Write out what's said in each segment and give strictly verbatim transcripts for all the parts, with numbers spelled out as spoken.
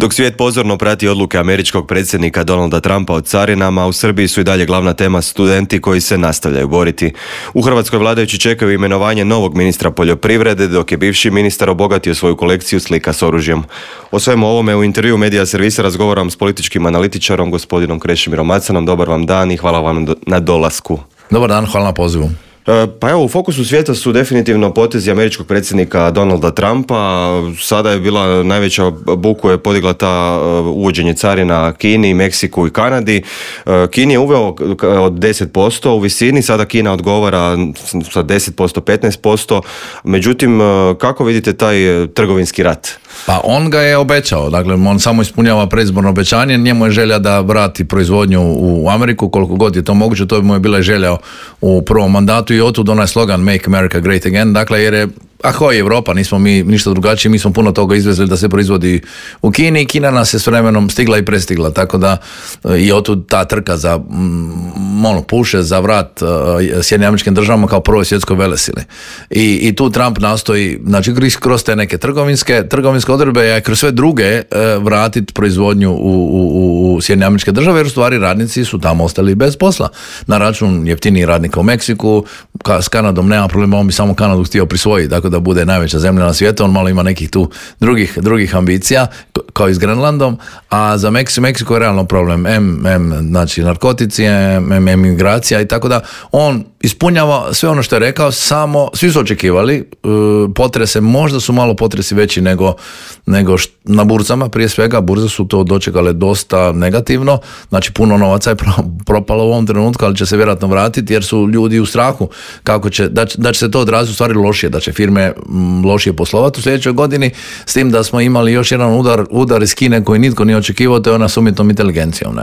Dok svijet pozorno prati odluke američkog predsjednika Donalda Trumpa o carinama, u Srbiji su i dalje glavna tema studenti koji se nastavljaju boriti. U Hrvatskoj vladajući čekaju imenovanje novog ministra poljoprivrede, dok je bivši ministar obogatio svoju kolekciju slika s oružjem. O svemu ovome u intervju Medija servisa razgovaram s političkim analitičarom, gospodinom Krešimirom Macanom. Dobar vam dan i hvala vam na dolasku. Dobar dan, hvala na pozivu. Pa evo, u fokusu svijeta su definitivno potezi američkog predsjednika Donalda Trumpa. Sada je bila najveća buku je podigla ta uvođenje carina Kini, Meksiku i Kanadi. Kini je uveo od deset posto u visini, sada Kina odgovara sa deset posto, petnaest posto. Međutim, kako vidite taj trgovinski rat? Pa on ga je obećao, dakle on samo ispunjava predizborno obećanje, njemu je želja da vrati proizvodnju u Ameriku koliko god je to moguće, to bi mu je bila želja u prvom mandatu i otud onaj slogan Make America Great Again, dakle jer je ako je Europa, nismo mi ništa drugačije, mi smo puno toga izvezli da se proizvodi u Kini i Kina nas je s vremenom stigla i prestigla, tako da i otud ta trka za ono, puše za vrat uh, Sjedinjenim Američkim Državama kao prvoj svjetskoj velesili. I, i tu Trump nastoji, znači kroz te neke trgovinske, trgovinske odredbe, a kroz sve druge uh, vratiti proizvodnju u, u, u Sjedinjene Američke Države, jer u stvari radnici su tamo ostali bez posla. Na račun jeftinijih radnika u Meksiku, ka, s Kanadom nema problema, on bi samo Kanadu htio prisvojiti, tako da bude najveća zemlja na svijetu, on malo ima nekih tu drugih, drugih ambicija, kao i s Grenlandom, a za Meksiko, Meksiko je realno problem, M, M, znači narkotici, M, M, emigracija i tako da on ispunjava sve ono što je rekao, samo, svi su očekivali, potrese, možda su malo potresi veći nego, nego št, na burzama, prije svega, burze su to dočekale dosta negativno, znači puno novaca je propalo u ovom trenutku, ali će se vjerojatno vratiti, jer su ljudi u strahu kako će, da, da će se to odraziti u stvari lošije, da će firme lošije poslovati u sljedećoj godini, s tim da smo imali još jedan udar, udar iz Kine koji nitko nije očekivao, to je ona s umjetnom inteligencijom. Ne?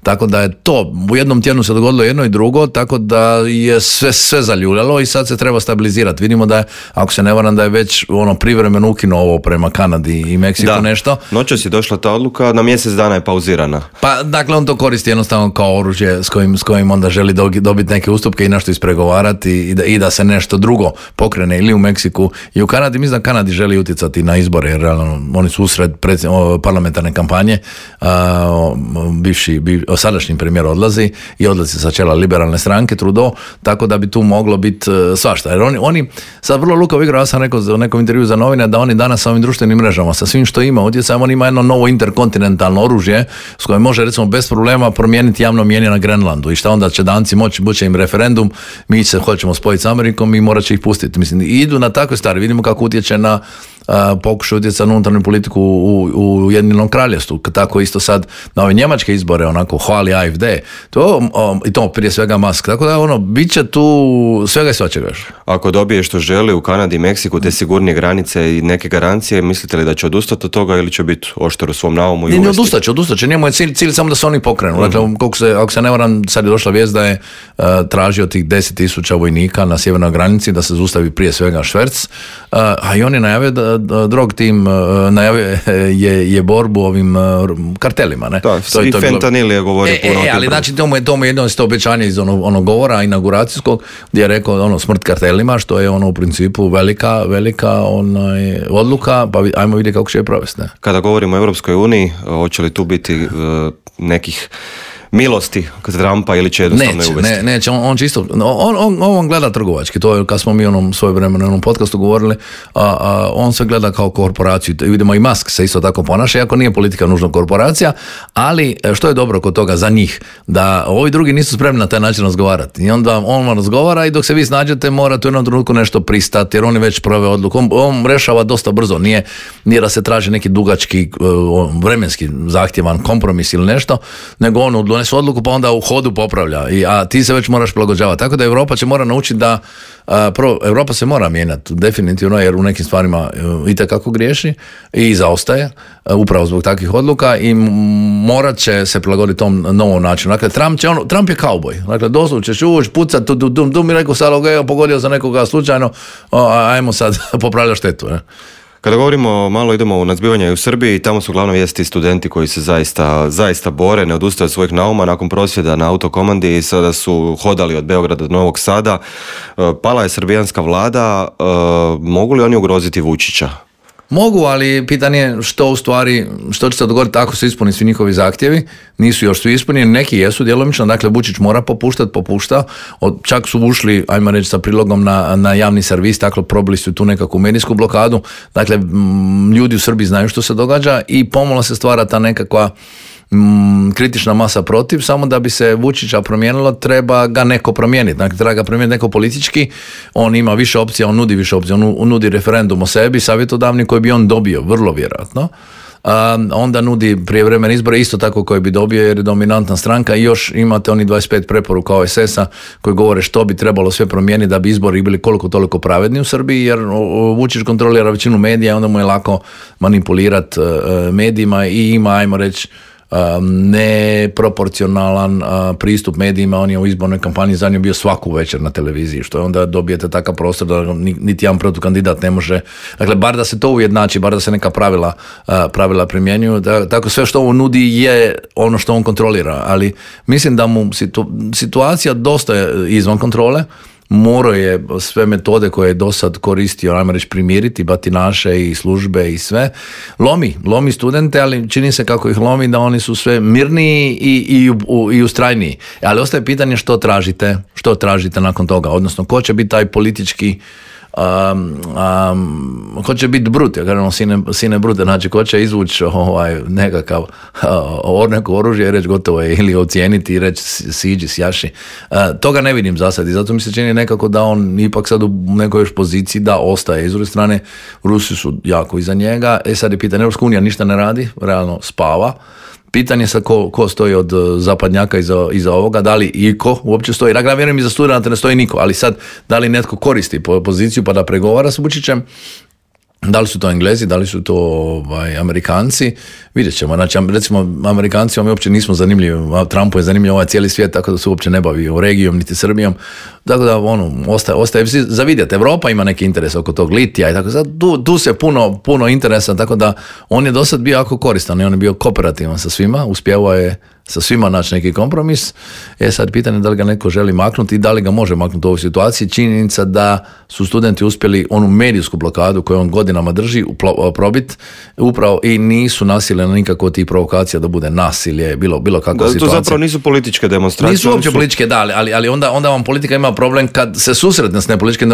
Tako da je to, u jednom tjednu se dogodilo jedno i drugo, tako da je sve, sve zaljuljalo i sad se treba stabilizirati. Vidimo da je, ako se ne varam, da je već ono privremeno ukinuo ovo prema Kanadi i Meksiku da, nešto. Noćas je došla ta odluka, na mjesec dana je pauzirana. Pa dakle on to koristi jednostavno kao oružje s kojim, s kojim onda želi dobiti neke ustupke i nešto ispregovarati i da, i da se nešto drugo pokrene ili u Meksiku i u Kanadi. Mislim da Kanadi želi utjecati na izbore, jer realno, oni su usred parlamentarne kampanje, a, bivši, biv, sadašnji premijer odlazi i odlazi sa čela liberalne stranke Trudeau, tako da bi tu moglo biti svašta. Jer oni, oni sad vrlo lukav igra, ja sam rekao u nekom intervju za novine da oni danas sa ovim društvenim mrežama, sa svim što ima utjecajem, on ima jedno novo interkontinentalno oružje s kojim može recimo bez problema promijeniti javno mnijenje na Grenlandu i šta onda će Danci moći, buće im referendum, mi se hoćemo spojiti s Amerikom i morat će ih pustiti. Mislim, idu na takve stvari, vidimo kako utječe na Uh, pokušaju utjecati na unutarnju politiku u, u Ujedinjenom Kraljevstvu, tako isto sad na ove njemačke izbore onako hvali A F D to, um, i to prije svega Musk, tako da ono, bit će tu svega i svačega još. Ako dobije što želi u Kanadi i Meksiku, te sigurnije granice i neke garancije, mislite li da će odustati od toga ili će biti oštar u svom naumu? Ne, ne odustat će, odustat će, njemu je cilj, cilj samo da se oni pokrenu. Uh-huh. Dakle, koliko se, ako se ne varam, sad je došla vijest da je uh, tražio tih deset tisuća vojnika na sjevernoj granici da se zustavi prije svega šverc, uh, a i on je najavio da drog tim najavio je, je borbu ovim kartelima. Ne? Da, to, i to fentanil je govorio e, puno. E, ali znači tomu je, tomu je jedno isto obećanje iz onog, onog govora inauguracijskog gdje je rekao ono, smrt kartelima, što je ono u principu velika, velika onaj, odluka, pa ajmo vidjeti kako će je provesti. Ne? Kada govorimo o Europskoj uniji, hoće li tu biti uh, nekih milosti kod Trumpa ili će jednostavno neće, uvesti? Ne, neće, on, on čisto, on, on, on gleda trgovački, to je kad smo mi onom svoje vremenu u onom podcastu govorili, a, a, on se gleda kao korporaciju, vidimo i Musk se isto tako ponaša, iako nije politika nužno korporacija, ali što je dobro kod toga za njih, da ovi drugi nisu spremni na taj način razgovarati i onda on vam razgovara i dok se vi snađete morate u jednom trenutku nešto pristati, jer on je već proveo odluku, on, on rešava dosta brzo, nije, nije da se traži neki dugački vremenski zahtjevan kompromis ili nešto, nego on su odluku pa onda u hodu popravlja, I, a ti se već moraš prilagođavati. Tako da Europa će mora naučiti da a, prvo, Europa se mora mijenjati definitivno, jer u nekim stvarima itekako griješi i zaostaje a, upravo zbog takvih odluka i morat će se prilagoditi tom novom načinu. Dakle, Trump, će on, Trump je kauboj. Dakle, doslovno ćeš ući, pucat, tu, dum, dum, i rekao sad, okay, pogodio za nekoga slučajno, o, ajmo sad popravljati štetu. Ne? Kada govorimo, malo idemo u nadzbivanje u Srbiji, tamo su glavno vijesti studenti koji se zaista, zaista bore, ne odustaju od svojih nauma nakon prosvjeda na autokomandi i sada su hodali od Beograda do Novog Sada. Pala je srbijanska vlada, mogu li oni ugroziti Vučića? Mogu, ali pitanje je što u stvari, što će se dogoditi ako se ispuni svi njihovi zahtjevi, nisu još svi ispunjeni, neki jesu djelomično, dakle Vučić mora popuštati, popušta, od, čak su ušli, ajmo reći, sa prilogom na, na javni servis, dakle probili su tu nekakvu medijsku blokadu, dakle m, ljudi u Srbiji znaju što se događa i pomalo se stvara ta nekakva mm, kritična masa protiv, samo da bi se Vučića promijenilo, treba ga neko promijeniti, dakle treba ga promijeniti neko politički, on ima više opcija, on nudi više opcija, on nudi referendum o sebi, savjetodavni koji bi on dobio, vrlo vjerojatno. Um, onda nudi prijevremene izbore isto tako koje bi dobio jer je dominantna stranka i još imate oni dvadeset pet preporuka O S S-a koji govore što bi trebalo sve promijeniti da bi izbori bili koliko toliko pravedni u Srbiji jer Vučić kontrolira većinu medija, onda mu je lako manipulirati uh, medijima i ima, ajmo reći, neproporcionalan pristup medijima. On je u izbornoj kampanji za nju bio svaku večer na televiziji, što je onda dobijete takav prostor da niti jedan protukandidat ne može, dakle bar da se to ujednači, bar da se neka pravila, pravila primjenjuju, da, tako sve što on nudi je ono što on kontrolira, ali mislim da mu situ, situacija dosta je izvan kontrole. Morao je sve metode koje je do sad koristio, ajmo reći, primiriti, batinaše i službe i sve. Lomi, lomi studente, ali čini se kako ih lomi da oni su sve mirniji i, i, i ustrajniji. Ali ostaje pitanje što tražite, što tražite nakon toga, odnosno ko će biti taj politički Um, um, ko će biti brut, ja kažem sine, sine brute, znači ko će izvući ovaj, nekakav uh, neko oružje i reći gotovo je ili ocijeniti i reći siđi, sjaši. Uh, toga ne vidim za sad i zato mi se čini nekako da on ipak sad u nekoj još poziciji da ostaje. S druge strane, Rusi su jako iza njega, e sad je pitanje, Europska unija ništa ne radi, realno spava. Pitanje sa ko, ko stoji od zapadnjaka iza, iza ovoga, da li iko uopće stoji, dakle ja vjerujem iza studenata ne stoji niko, ali sad da li netko koristi poziciju pa da pregovara s Vučićem, da li su to Englezi, da li su to ovaj, Amerikanci, vidjet ćemo. Znači, recimo, Amerikancima mi uopće nismo zanimljivi, Trumpu je zanimljiv ovaj cijeli svijet, tako da se uopće ne bavi o regijom, niti Srbijom, tako da, ono, ostaje, ostaje za vidjeti. Evropa ima neki interes oko tog litija i tako da, tu, tu se puno, puno interesa, tako da on je do sad bio jako koristan i on je bio kooperativan sa svima, uspjevao je sa svima naći neki kompromis. E sad pitanje da li ga neko želi maknuti i da li ga može maknuti u ovoj situaciji. Činjenica da su studenti uspjeli onu medijsku blokadu koju on godinama drži probit upravo i nisu nasile na nikakvo tih provokacija da bude nasilje, bilo, bilo kakva situacija. To zapravo nisu političke demonstracije. Nisu uopće su... političke, da, ali, ali onda, onda vam politika ima problem kad se susretne s nepolitičkim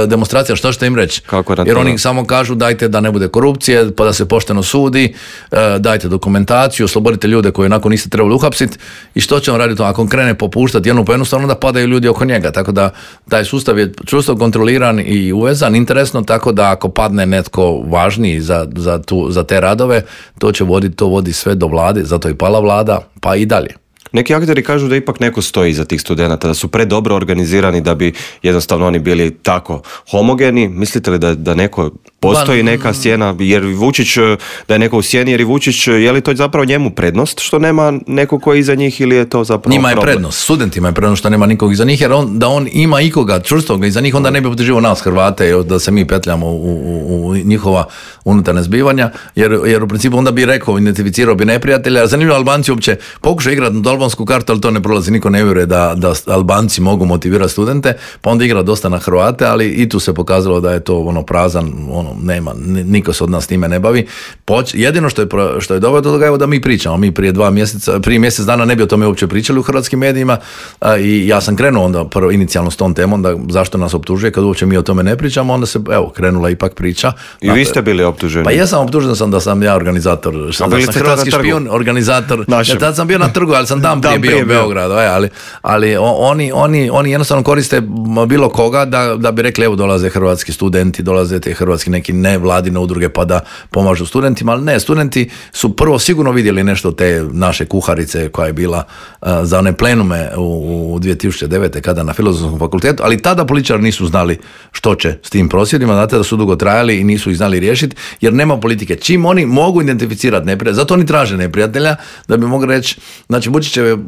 demonstracijama, što ćete im reći? Jer oni samo kažu dajte da ne bude korupcije, pa da se pošteno sudi, dajte dokumentaciju, oslobodite ljude koji nakon niste trebali uhapsiti i što će on raditi ako on krene popuštati jednu po jednostavno, onda padaju ljudi oko njega, tako da taj sustav je čvrsto kontroliran i uvezan, interesno, tako da ako padne netko važniji za, za, tu, za te radove, to će voditi, to vodi sve do vlade, zato je pala vlada, pa i dalje. Neki akteri kažu da ipak neko stoji iza tih studenata, da su predobro organizirani da bi jednostavno oni bili tako homogeni. Mislite li da, da neko postoji neka sjena, jer Vučić, da je neko u sjeni, jer i Vučić, je li to zapravo njemu prednost što nema neko ko je iza njih ili je to zapravo njima je problem? Prednost, studentima je prednost što nema nikog iza njih, jer on, da on ima ikoga čvrstoga iza njih, onda ne bi podrživao nas Hrvate, da se mi petljamo u, u, u njihova unutarnja zbivanja, jer, jer u principu onda bi rekao, identificirao bi neprijatelja. Zanimljivo, Albanci uopće pokušaju igrati na albansku kartu, ali to ne prolazi, niko ne vjeruje da, da Albanci mogu motivirati studente, pa onda igra dosta na Hrvate, ali i tu se pokazalo da je to ono prazan, ono nema, niko se od nas time ne bavi. Poč, jedino što je, što je dobro do toga je da mi pričamo, mi prije dva mjeseca, prije mjesec dana ne bi o tome uopće pričali u hrvatskim medijima a, i ja sam krenuo onda prvo inicijalno s tom temom, da zašto nas optužuje kad uopće mi o tome ne pričamo, onda se, evo, krenula ipak priča. I dakle, vi ste bili optuženi? Pa ja sam optužen sam da sam ja organizator, da sam hrvatski špijun, organizator, ja tad sam bio na trgu, ali sam dan prije bio u Beogradu, ali, ali oni, oni, oni jednostavno koriste bilo koga da, da bi rekli evo dolaze hrvatski studenti, dolaze te hrvatski neki nevladine udruge pa da pomažu studentima, ali ne, studenti su prvo sigurno vidjeli nešto te naše kuharice koja je bila uh, za one plenume u, u dvije tisuće devete kada na Filozofskom fakultetu, ali tada političari nisu znali što će s tim prosvjedima, znate da su dugo trajali i nisu ih znali riješiti, jer nema politike. Čim oni mogu identificirati neprijatelja, zato oni traže neprijatelja, da bi mogli reći, znači Vučićev je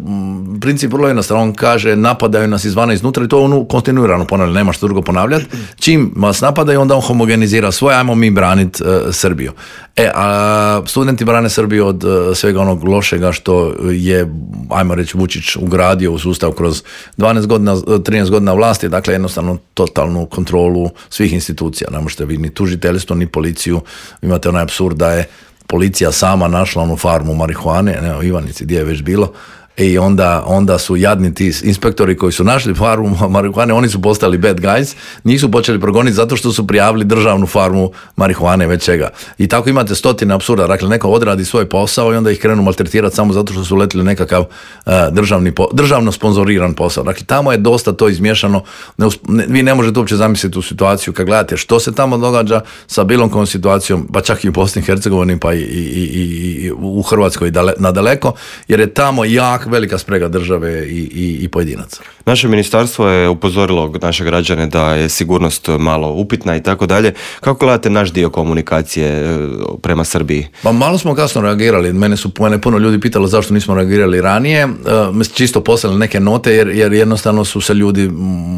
princip vrlo jednostavno, on kaže napadaju nas izvana iznutra i to on kontinuirano ponavlja, nema što drugo ponavljati. Čim vas napadaju, onda on homogenizira svoje, ajmo mi braniti uh, Srbiju. E, a studenti brane Srbiju od uh, svega onog lošega što je, ajmo reći, Vučić ugradio u sustav kroz dvanaest godina, trinaest godina vlasti, dakle jednostavno totalnu kontrolu svih institucija. Ne možete vi ni tužiteljstvo, ni policiju. Imate onaj apsurd da je policija sama našla onu farmu marihuane, ne, u Ivanici, gdje je već bilo, i onda, onda su jadni ti inspektori koji su našli farmu marihuane, oni su postali bad guys, nisu počeli progoniti zato što su prijavili državnu farmu marihuane već čega. I tako imate stotine apsurda, dakle neko odradi svoj posao i onda ih krenu maltretirati samo zato što su letili nekakav uh, državni, državno sponzoriran posao. Dakle, tamo je dosta to izmiješano, ne, ne, vi ne možete uopće zamisliti tu situaciju kad gledate što se tamo događa sa bilo kojom situacijom, pa čak i u Bosni i Hercegovini, pa i, i, i, i u Hrvatskoj dale, nadaleko, jer je tamo jak velika sprega države i, i, i pojedinaca. Naše ministarstvo je upozorilo naše građane da je sigurnost malo upitna i tako dalje. Kako gledate naš dio komunikacije prema Srbiji? Pa malo smo kasno reagirali. Mene su mene puno ljudi pitalo zašto nismo reagirali ranije. Uh, čisto poslali neke note jer, jer jednostavno su se ljudi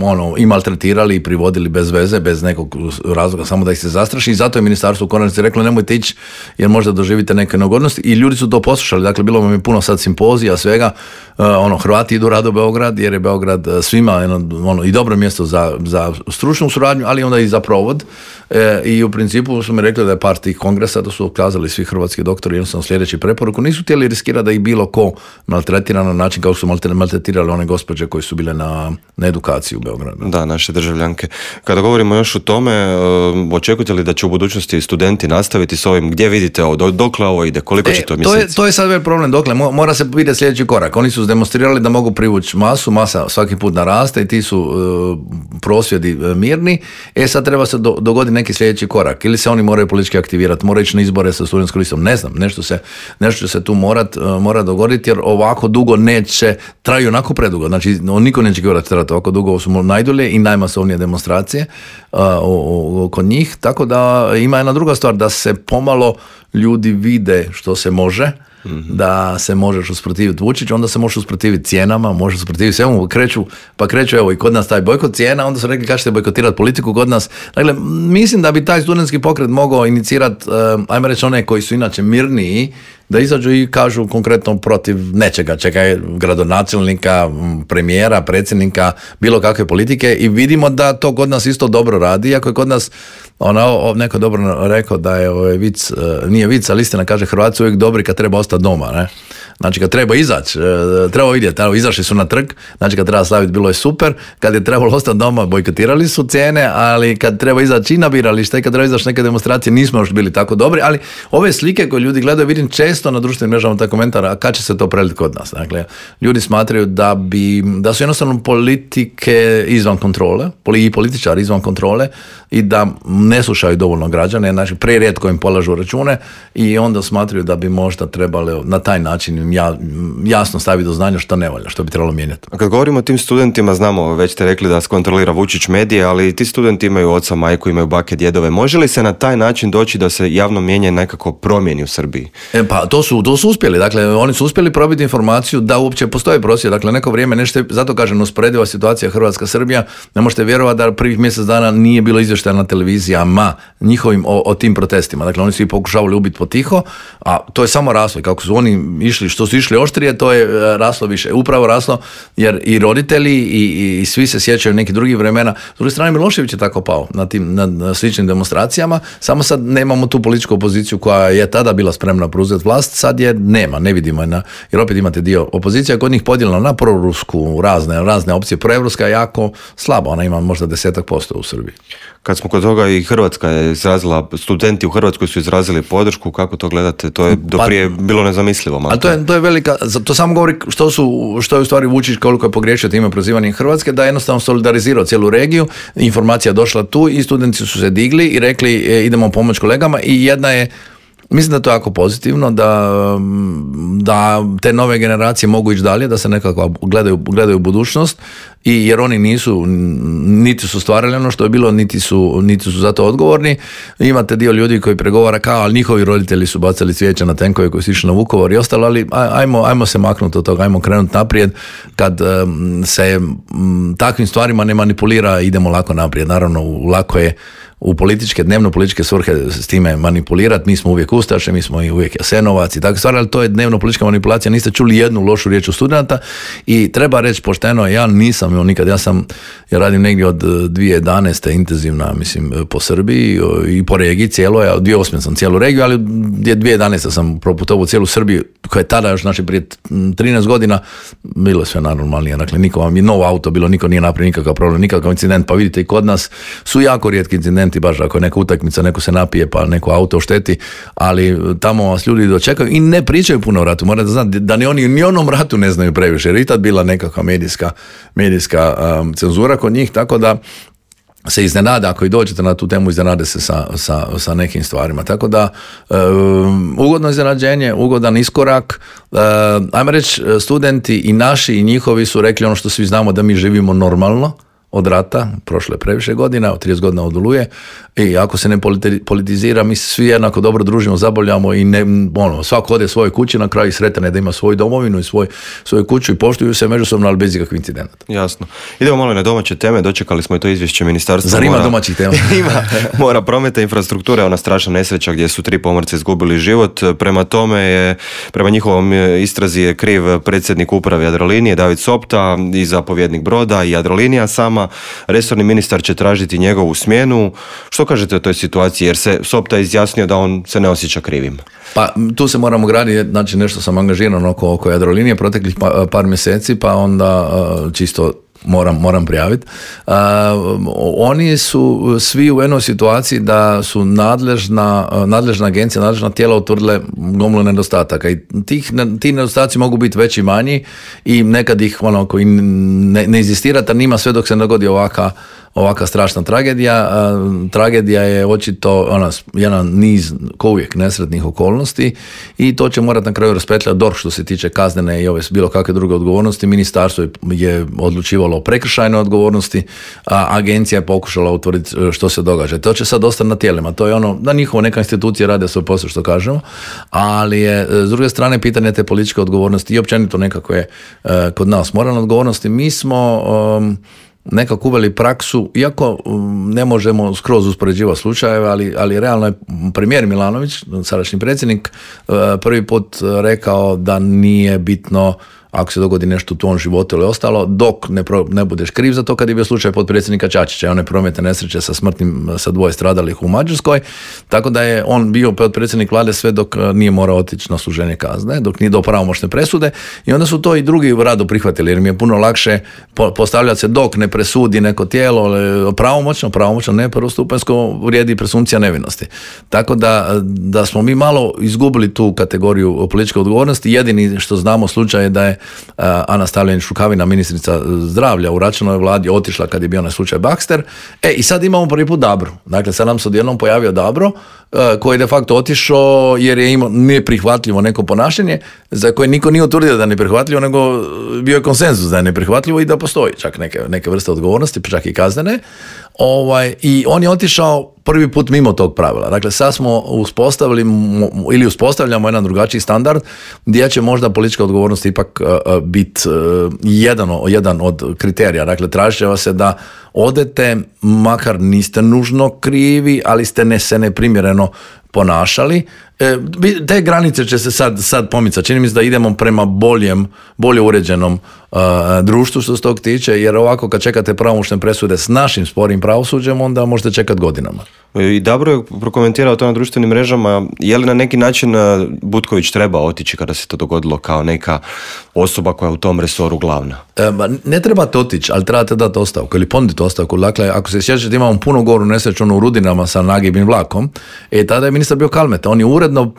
ono, i maltretirali i privodili bez veze, bez nekog razloga, samo da ih se zastraši. I zato je ministarstvo u konačnici reklo nemojte ići jer možda doživite neke neugodnosti. I ljudi su to poslušali. Dakle, bilo vam je puno sad simpozija, svega. Uh, ono, Hrvati idu rado u Beograd jer je Beograd svima jedno, ono, i dobro mjesto za, za stručnu suradnju, ali onda i za provod. E, I u principu su mi rekli da je par tih kongresa, da su ukazali svi hrvatski doktori jednostavno sljedeći preporuku. Nisu htjeli riskirati da ih bilo ko maltretira na način kao su maltretirali one gospođe koji su bile na, na edukaciji u Beogradu. Da, naše državljanke. Kada govorimo još o tome, očekujete li da će u budućnosti studenti nastaviti s ovim? Gdje vidite ovo? Dokle ovo ide? Koliko e, će to mjeseci? mjeseci? To je, to je sad već problem. Dokle? Mora se vidjeti sljedeći korak. Oni su demonstrirali da mogu privući masu, masa svaki put naraste i ti su uh, prosvjedi uh, mirni. E sad treba se do, dogoditi neki sljedeći korak. Ili se oni moraju politički aktivirati, moraju ići na izbore sa studentskom listom. Ne znam, nešto se, nešto će se tu morat, uh, mora dogoditi jer ovako dugo neće, traju onako predugo. Znači, niko neće govoriti trati ovako dugo, ovo su najdulje i najmasovnije demonstracije uh, o, o, kod njih. Tako da ima jedna druga stvar, da se pomalo ljudi vide što se može, mm-hmm. da se možeš usprotiviti Vučiću, onda se možeš usprotiviti cijenama, možeš usprotiviti svemu, kreću, pa kreću evo i kod nas taj bojkot cijena, onda su rekli kako ćete bojkotirati politiku kod nas. Dakle, mislim da bi taj studentski pokret mogao inicirati, uh, ajmo reći one koji su inače mirniji, da izađu i kažu konkretno protiv nečega, čekaj, gradonačelnika, premijera, predsjednika, bilo kakve politike i vidimo da to kod nas isto dobro radi, iako je kod nas ono, neko dobro rekao da je ovaj vic, nije vic, ali istina kaže Hrvati su uvijek dobri kad treba ostati doma, ne? Znači kad treba izaći, treba vidjeti, evo, izašli su na trg, znači kad treba slaviti bilo je super, kad je trebalo ostati doma bojkotirali su cijene, ali kad treba izaći i na biralište i kad treba izaći neke demonstracije nismo još bili tako dobri, ali ove slike koje ljudi gledaju vidim često na društvenim mrežama taj komentar, a kad će se to preliti kod nas? Dakle, ljudi smatraju da bi, da su jednostavno politike izvan kontrole, i političari izvan kontrole i da ne slušaju dovoljno građane, znači prerijetko im polažu račune i onda smatraju da bi možda trebali na taj način ja, jasno staviti do znanja što ne valja, što bi trebalo mijenjati. A kad govorimo o tim studentima, znamo, već ste rekli da kontrolira Vučić medije, ali ti studenti imaju oca, majku, imaju bake, djedove. Može li se na taj način doći da se javno mijenje nekako promijeni u Srbiji? E, pa to su, to su uspjeli, dakle oni su uspjeli probiti informaciju da uopće postoje prosvjed, dakle neko vrijeme nešto, zato kažem usporediva situacija Hrvatska-Srbija, ne možete vjerovati da prvih mjesec dana nije bilo izvještaja na televizijama njihovim o, o tim protestima, dakle oni su i pokušavali ubiti potiho, a to je samo raslo i kako su oni išli, što su išli oštrije, to je raslo više, upravo raslo jer i roditelji i, i svi se sjećaju nekih drugih vremena. S druge strane Milošević je tako pao na tim na, na sličnim demonstracijama, samo sad nemamo tu političku opoziciju koja je tada bila spremna preuzeti vlast, sad je nema, ne vidimo je na, jer opet imate dio opozicija kod njih podijeljena na prorusku, razne, razne opcije, proevropska je jako slaba, ona ima možda desetak posto u Srbiji. Kad smo kod toga i Hrvatska je izrazila, studenti u Hrvatskoj su izrazili podršku, kako to gledate? To je do prije pa, bilo nezamislivo. Ali to je, to je velika, to samo govori što, su, što je u stvari Vučić koliko je pogriješio time prozivanjem Hrvatske, da je jednostavno solidarizirao cijelu regiju, informacija je došla tu i studenti su se digli i rekli e, idemo pomoći kolegama i jedna je, mislim da je to jako pozitivno, da, da te nove generacije mogu ići dalje, da se nekako gledaju, gledaju budućnost, i jer oni nisu, niti su stvarali ono što je bilo, niti su, niti su za to odgovorni. Imate dio ljudi koji pregovara kao, ali njihovi roditelji su bacali cvijeće na tenkove koji su išli na Vukovar i ostalo, ali ajmo, ajmo se maknuti od toga, ajmo krenuti naprijed. Kad um, se um, takvim stvarima ne manipulira, idemo lako naprijed. Naravno, lako je u političke, dnevno političke svrhe s time manipulirati. Mi smo uvijek ustaše, mi smo i uvijek Jasenovac i tako stvari, ali to je dnevno politička manipulacija. Niste čuli jednu lošu riječ od studenta i treba reći pošteno, ja nisam imao nikad, ja sam, ja radim negdje od dvije tisuće jedanaeste intenzivna, mislim, po Srbiji i po regiji cijeloj, a od dvije tisuće osme sam cijelu regiju, ali dvije tisuće jedanaeste sam proputovao cijelu Srbiju, koja je tada još, znači, prije trinaest godina, bilo je sve najnormalnije. Dakle, niko vam je novo auto bilo, niko nije napravio nikakav problem, nikakav incident, pa vidite i kod nas su jako rijetki incidenti, baš ako je neka utakmica, neko se napije pa neko auto ošteti, ali tamo vas ljudi dočekaju i ne pričaju puno o ratu. Morate znati da ni oni ni onom ratu ne znaju previše, jer i tad bila nekakva medijska, medijska um, cenzura kod njih, tako da se iznenada, ako i dođete na tu temu, iznenade se sa, sa, sa nekim stvarima. Tako da, um, ugodno iznenađenje, ugodan iskorak. Uh, ajmo reći, studenti i naši i njihovi su rekli ono što svi znamo, da mi živimo normalno od rata, prošle previše godina, od trideset godina od Oluje, i ako se ne politizira, mi se svi jednako dobro družimo, zabavljamo i ne, ono, svako ode svoje kući, na kraju sretan je da ima svoju domovinu i svoj, svoju kuću i poštuju se međusobno, ali bez ikakvih incidenata. Jasno. Idemo malo na domaće teme, dočekali smo i to izvješće ministarstva. Zar ima domaćih tema? Ima, mora prometa, infrastruktura, ona strašna nesreća gdje su tri pomorca izgubili život. Prema tome je, prema njihovom istrazi je kriv predsjednik uprave Jadrolinije David Sopta i zapovjednik broda i Jadrolinija sama. Resorni ministar će tražiti njegovu smjenu. Što kažete o toj situaciji, jer se Sopta izjasnio da on se ne osjeća krivim? Pa tu se moramo graditi, znači nešto sam angažiran oko, oko Jadrolinije proteklih pa, par mjeseci, pa onda čisto moram, moram prijaviti. Uh, oni su svi u jednoj situaciji da su nadležna, nadležna agencija, nadležna tijela utvrdile gomilu nedostataka i tih, ti nedostaci mogu biti veći i manji i nekad ih ono, koji ne, ne inzistirate, nima sve dok se ne dogodi ovaka ovaka strašna tragedija. Tragedija je očito ona, jedan niz, ko uvijek, nesretnih okolnosti i to će morati na kraju raspetljati D O R H što se tiče kaznene i ove bilo kakve druge odgovornosti. Ministarstvo je odlučivalo o prekršajnoj odgovornosti, a agencija je pokušala utvrditi što se događa. To će sad ostati na tijelima. To je ono, da njihovo neka institucija rade svoj posao, što kažemo, ali je s druge strane pitanje te političke odgovornosti i općenito nekakve kod nas moralne odgovornosti. Mi smo um, nekako uveli praksu, iako ne možemo skroz uspoređivati slučajeve, ali, ali realno je premijer Milanović, sadašnji predsjednik, prvi put rekao da nije bitno ako se dogodi nešto u tvom životu ili ostalo, dok ne, pro, ne budeš kriv za to, kad je bio slučaj potpredsjednika Čačića i one prometne nesreće sa smrtnim, sa dvoje stradalih u Mađarskoj, tako da je on bio potpredsjednik vlade sve dok nije morao otići na služenje kazne, dok nije do pravomoćne presude i onda su to i drugi rado prihvatili, jer mi je puno lakše postavljati se dok ne presudi neko tijelo pravomoćno, pravomoćno ne prvostupanjsko, vrijedi presumpcija nevinosti. Tako da, da smo mi malo izgubili tu kategoriju političke odgovornosti. Jedini što znamo slučaj je da je Ana Stavljenić Rukavina, ministrica zdravlja u Račanovoj vladi, otišla kad je bio onaj slučaj Baxter. E, i sad imamo prvi put Dabro. Dakle, sad nam se odjednom pojavio Dabro, koji je de facto otišao jer je imao neprihvatljivo neko ponašanje, za koje niko nije utvrdio da je neprihvatljivo, nego bio je konsenzus da je neprihvatljivo i da postoji čak neke, neke vrste odgovornosti, čak i kaznene. Ovaj, i on je otišao prvi put mimo tog pravila. Dakle, sad smo uspostavili ili uspostavljamo jedan drugačiji standard gdje će možda politička odgovornost ipak uh, biti uh, jedan, jedan od kriterija. Dakle, tražit će vas se da odete, makar niste nužno krivi, ali ste ne, se neprimjereno ponašali. E, te granice će se sad, sad pomicati. Čini mi se da idemo prema boljem, bolje uređenom uh, društvu što se tog tiče, jer ovako kad čekate pravomoćne presude s našim sporim pravosuđem, onda možete čekati godinama. I Dabro je prokomentirao to na društvenim mrežama. Je li na neki način Butković treba otići kada se to dogodilo kao neka osoba koja je u tom resoru glavna? E, ne trebate otići, ali trebate dati ostavku ili ponuditi ostavku. Dakle, ako se sjećate, imamo puno goru nesreću u Rudinama sa nagibnim vlakom. E, tada je ministar bio Kalmeta. On je uredno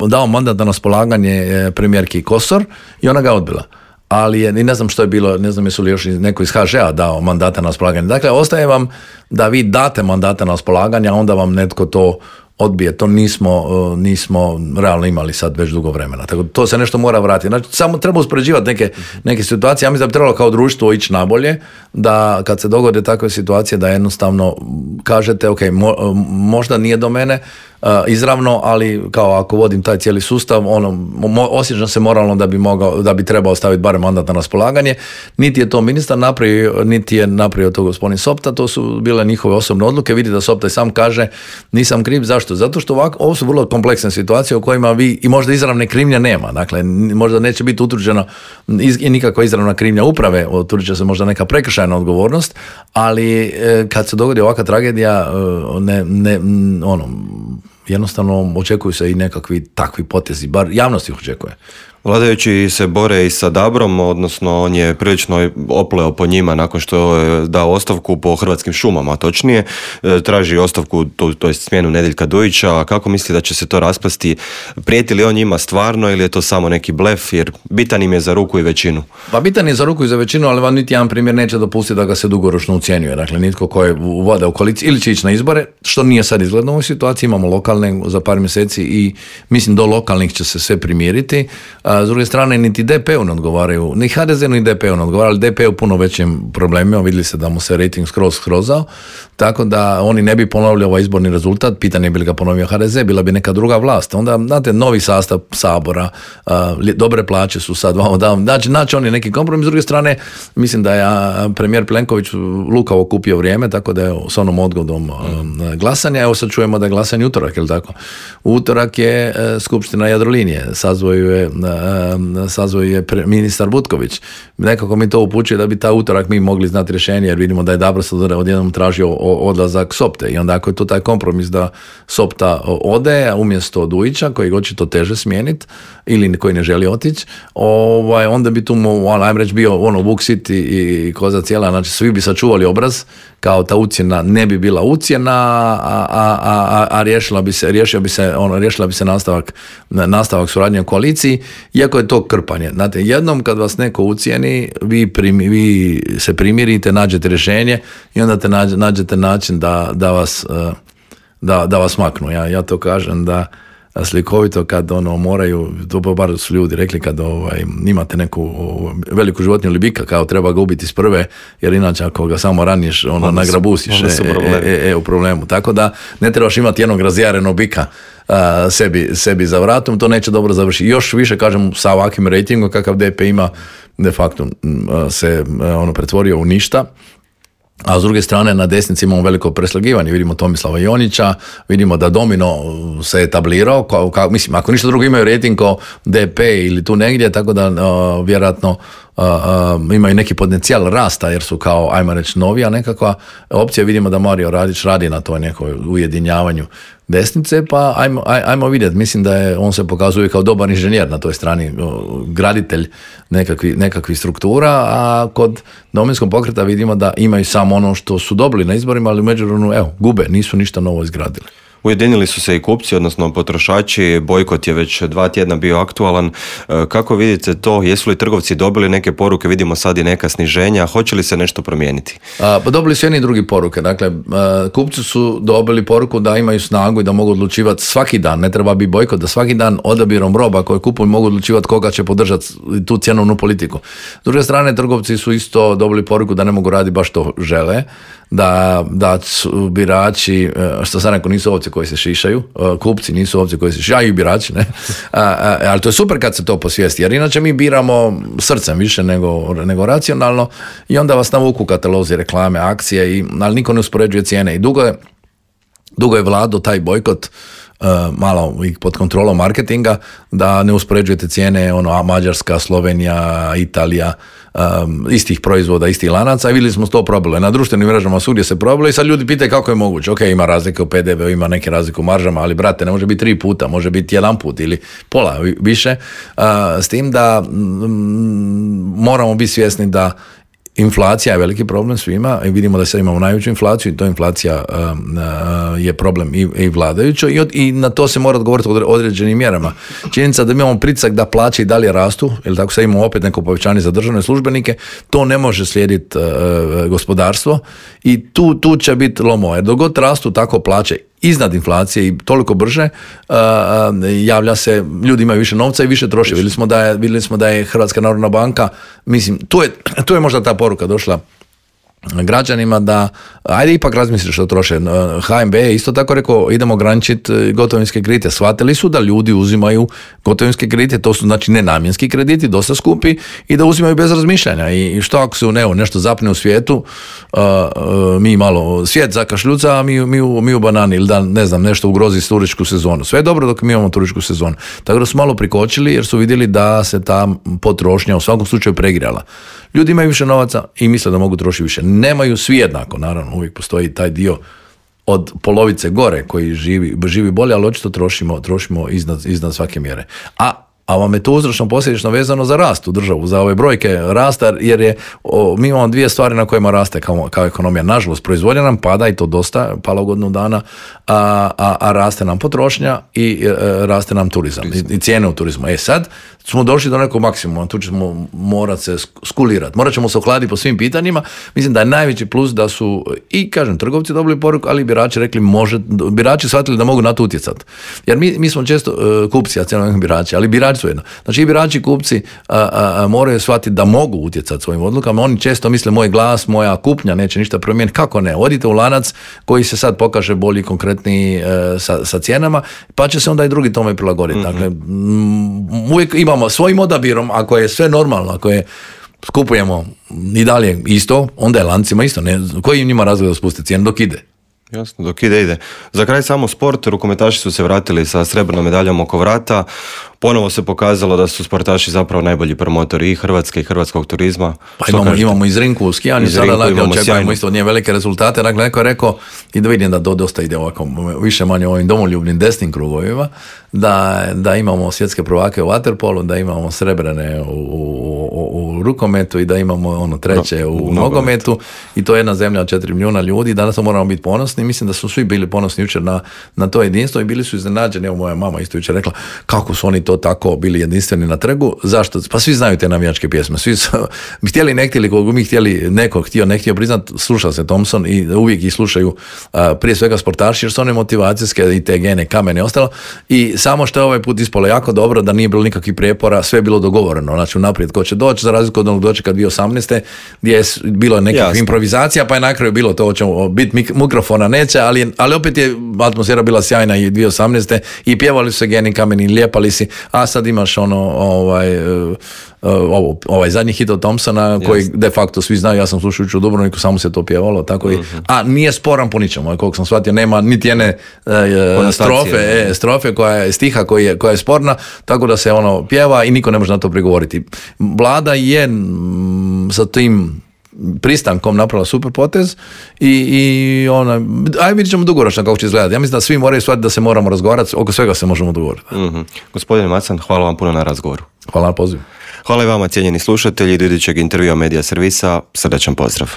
dao mandat na raspolaganje premijerki Kosor i ona ga odbila. Ali je, ne znam što je bilo, ne znam jesu li još neko iz ha že a dao mandata na raspolaganje. Dakle, ostaje vam da vi date mandata na raspolaganje, a onda vam netko to odbije. To nismo, nismo realno imali sad već dugo vremena. Tako to se nešto mora vratiti. Znači, samo treba uspoređivati neke, neke situacije. Ja mislim da bi trebalo kao društvo ići nabolje, da kad se dogode takve situacije da jednostavno kažete, ok, mo, možda nije do mene, uh, izravno, ali kao ako vodim taj cijeli sustav, ono, mo, osjećam se moralno da bi mogao, da bi trebao staviti barem mandat na raspolaganje. Niti je to ministar napravio, niti je napravio to gospodin Sopta, to su bile njihove osobne odluke. Vidi da Sopta i sam kaže nisam kriv. Zašto? Zato što ovako, ovo su vrlo kompleksne situacije u kojima vi i možda izravne krivnje nema. Dakle, možda neće biti utvrđeno iz, i nikakva izravna krivnja uprave, utvrđit će se možda neka prekršajna odgovornost, ali e, kad se dogodi ovakva tragedija, e, ne, ne, ono, jednostavno očekuju se i nekakvi takvi potezi, bar javnost ih očekuje. Vladajući se bore i sa Dabrom, odnosno on je prilično opleo po njima nakon što je dao ostavku po Hrvatskim šumama, točnije. Traži ostavku, to, to je smjenu Nedeljka Dujića. Kako misli da će se to raspasti? Prijeti li on njima stvarno ili je to samo neki blef, jer bitan im je za ruku i većinu? Pa bitan je za ruku i za većinu, ali vam niti jedan primjer neće dopustiti da ga se dugoročno ucjenjuje. Dakle, nitko ko je voda u koaliciji ili će ići na izbore, što nije sad izgledno u ovoj situaciji, imamo lokalne za par mjeseci i mislim do lokalnih će se sve primiriti. A s druge strane, niti D P-u ne odgovaraju, ni H D Z-u ni D P-u ne odgovaraju, ali D P-u puno većim problemima, vidjeli se da mu se rating skroz skrozao, tako da oni ne bi ponovili ovaj izborni rezultat, pitanje bi li ga ponovio H D Z, bila bi neka druga vlast. Onda, znate, novi sastav Sabora, a, dobre plaće su sad, znači, znači on je neki kompromis. S druge strane, mislim da je premijer Plenković lukavo kupio vrijeme, tako da je s onom odgodom a, glasanja. Evo sad čujemo da je glasanje utorak, je li tako? Utorak je a, skupština Jadrolinije, sazvoju je sazvoj je pre, ministar Butković. Nekako mi to upućuje da bi ta utorak mi mogli znati rješenje, jer vidimo da je Dabro sad odjednom tražio odlazak Sopte i onda ako je to taj kompromis da Sopta ode umjesto Dujića, koji očito teže smijeniti ili koji ne želi otići, ovaj, onda bi tu mu, on, ajmo reći, bio ono Vuk Sit i koza cijela, znači svi bi sačuvali obraz, kao ta ucjena ne bi bila ucjena, a, a, a, a riješila bi se, riješila bi se, ono, riješila bi se nastavak, nastavak suradnje u koaliciji, iako je to krpanje. Znate, jednom kad vas neko ucijeni, vi, primi, vi se primirite, nađete rješenje i onda te nađe, nađete način da, da, vas, da, da vas maknu. Ja, ja to kažem da slikovito kad ono moraju, to bar su ljudi rekli kad ovaj, imate neku veliku životinju ili bika, kao treba ga ubiti s prve, jer inače ako ga samo raniš, ono, onda nagrabusiš onda su, onda e, e, e, e, u problemu. Tako da ne trebaš imati jednog razjarenog bika a, sebi, sebi za vratom, to neće dobro završiti. Još više, kažem, sa ovakvim rejtingom kakav D P ima, de facto se ono pretvorio u ništa. A s druge strane na desnici imamo veliko preslagivanje, vidimo Tomislava Jonića, vidimo da Domino se etablirao, kao, kao, mislim, ako ništa drugo imaju rejting kao D P ili tu negdje, tako da uh, vjerojatno uh, uh, imaju neki potencijal rasta jer su kao, ajmo reći, novija nekakva opcija. Vidimo da Mario Radić radi na toj nekoj ujedinjavanju desnice, pa ajmo, aj, ajmo vidjeti. Mislim da je, on se pokazuje kao dobar inženjer na toj strani, graditelj nekakvi, nekakvi struktura, a kod Domovinskog pokreta vidimo da imaju samo ono što su dobili na izborima, ali u međuvremenu, evo, gube, nisu ništa novo izgradili. Ujedinili su se i kupci, odnosno potrošači, bojkot je već dva tjedna bio aktualan. Kako vidite to? Jesu li trgovci dobili neke poruke? Vidimo sad i neka sniženja. Hoće li se nešto promijeniti? A, pa dobili su jedni i drugi poruke. Dakle, a, kupci su dobili poruku da imaju snagu i da mogu odlučivati svaki dan. Ne treba biti bojkot, da svaki dan odabirom roba koje kupuju mogu odlučivati koga će podržati tu cjenovnu politiku. S druge strane, trgovci su isto dobili poruku da ne mogu raditi baš što žele. Da, da su birači, što sam rekao, nisu ovce koji se šišaju, kupci nisu ovce koji se šišaju, i birači, ne? A, a, ali to je super kad se to posvijesti, jer inače mi biramo srcem više nego, nego racionalno i onda vas navuku katalozi, reklame, akcije, i, ali niko ne uspoređuje cijene i dugo je, dugo je vladao taj bojkot, Uh, malo i pod kontrolom marketinga, da ne uspoređujete cijene, ono, Mađarska, Slovenija, Italija, um, istih proizvoda, istih lanaca, i vidjeli smo to probile. Na društvenim mrežama svugdje se probilo i sad ljudi pitaju kako je moguće. Ok, ima razlike u P D V, ima neke razlike u maržama, ali brate, ne može biti tri puta, može biti jedan put ili pola više. Uh, s tim da mm, moramo biti svjesni da inflacija je veliki problem svima i vidimo da sad imamo najveću inflaciju i to inflacija uh, uh, je problem i, i vladajućo i, od, i na to se mora odgovoriti određenim mjerama. Činjenica da mi imamo pritisak da plaće i dalje rastu, ili tako sad imamo opet neko povećanje za državne službenike, to ne može slijediti uh, gospodarstvo i tu, tu će biti lomo, jer dok god rastu tako plaće iznad inflacije i toliko brže, uh, javlja se, ljudi imaju više novca i više troše. Vidjeli smo da je, vidjeli smo da je Hrvatska narodna banka, mislim, tu je, tu je možda ta poruka došla građanima da ajde ipak razmisli što troše. H N B je isto tako rekao idemo ograničiti gotovinske kredite. Shvatili su da ljudi uzimaju gotovinske kredite, to su znači nenamjenski krediti, dosta skupi i da uzimaju bez razmišljanja. I što ako se u neo nešto zapne u svijetu, uh, uh, mi malo svijet zakašljuca, a mi, mi, u, mi u banani ili da ne znam nešto ugrozi turističku sezonu. Sve je dobro dok mi imamo turističku sezonu. Tako da su malo prikočili jer su vidjeli da se ta potrošnja u svakom slučaju pregrijala. Ljudi imaju više novaca i misle da mogu trošiti više. Nemaju svi jednako, naravno, uvijek postoji taj dio od polovice gore koji živi, živi bolje, ali očito trošimo, trošimo iznad, iznad svake mjere. A a vam je to uzročno posljedično vezano za rast u državu, za ove brojke rasta, jer je, o, mi imamo dvije stvari na kojima raste kao, kao ekonomija. Nažalost, proizvodnja nam pada i to dosta, pala u godinu dana, a, a, a raste nam potrošnja i e, raste nam turizam i, i cijene u turizmu. E sad smo došli do nekog maksimuma, tu ćemo morati se skulirati, morat ćemo se ohladiti po svim pitanjima. Mislim da je najveći plus da su i, kažem, trgovci dobili poruku, ali birači rekli, može, birači shvatili da mogu na to utjecati. Jer mi, mi smo često uh, kupci, a cijelo birači, ali birači su jedno. Znači i birači i kupci a, a, a, moraju shvatiti da mogu utjecati svojim odlukama. Oni često misle moj glas, moja kupnja neće ništa promijeniti. Kako ne? Odite u lanac koji se sad pokaže bolji, konkretniji e, sa, sa cijenama, pa će se onda i drugi tome prilagoditi. Mm-hmm. Dakle, m, uvijek imamo svojim odabirom, ako je sve normalno, ako je skupujemo i dalje isto, onda je lancima isto. Ne? Koji njima razgled da spusti cijenu dok ide? Jasno, dok ide, ide. Za kraj samo sport, rukometaši su se vratili sa srebrnom medaljom oko vrata. Ponovo se pokazalo da su sportaši zapravo najbolji promotori i Hrvatske i hrvatskog turizma. Pa imamo, imamo iz Rinku u skijanju, sada dakle, očekujemo isto od nje velike rezultate. Dakle, neko je rekao, i da vidim da do, dosta ide ovako, više manje ovim domoljubnim desnim krugovima, da, da imamo svjetske prvake u waterpolu, da imamo srebrene u, u, u, u rukometu i da imamo ono treće no, u, u nogometu. I to je jedna zemlja od četiri milijuna ljudi. Danas moramo biti ponosni. Mislim da su svi bili ponosni jučer na, na to jedinstvo i bili su iznenađeni. Evo moja mama isto jučer rekla kako su oni to tako bili jedinstveni na trgu. Zašto? Pa svi znaju te navijačke pjesme. Svi su htjeli ne htjeli, koliko mi htjeli, neko htio ne htio priznat, sluša se Thompson i uvijek ih slušaju a, prije svega sportaši jer su one motivacijske i te gene, kamene i ostalo. I samo što je ovaj put ispalo jako dobro da nije bilo nikakvih prijepora, sve je bilo dogovoreno. Znači unaprijed ko će doći, za razliku od onog dočeka dvije tisuće osamnaeste gdje je bilo nekih Jasne. improvizacija, pa je na kraju bilo to hoćemo biti mikrofona neće, ali, ali opet je atmosfera bila sjajna i dvije tisuće osamnaeste i pjevali su se geni kameni, lijepali si, a sad imaš ono ovaj, uh, ovo, ovaj zadnji hit od Thompsona koji yes. de facto svi znaju, ja sam slušajući u Dubrovniku, samo se to pjevalo, tako i, uh-huh. a nije sporan po ničemu, koliko sam shvatio, nema niti jedne uh, strofe, e, strofe koja je stiha koja je, koja je sporna, tako da se ono pjeva i niko ne može na to prigovoriti. Vlada je m, sa tim pristankom napravila super potez i, i ona, aj vidjet ćemo dugoročno kako će izgledati. Ja mislim da svi moraju shvatiti da se moramo razgovarati, oko svega se možemo dogovoriti. Mm-hmm. Gospodine Macan, hvala vam puno na razgovoru. Hvala na pozivu. Hvala i vama, cijenjeni slušatelji, do idućeg intervjua Medija servisa, srdačan pozdrav.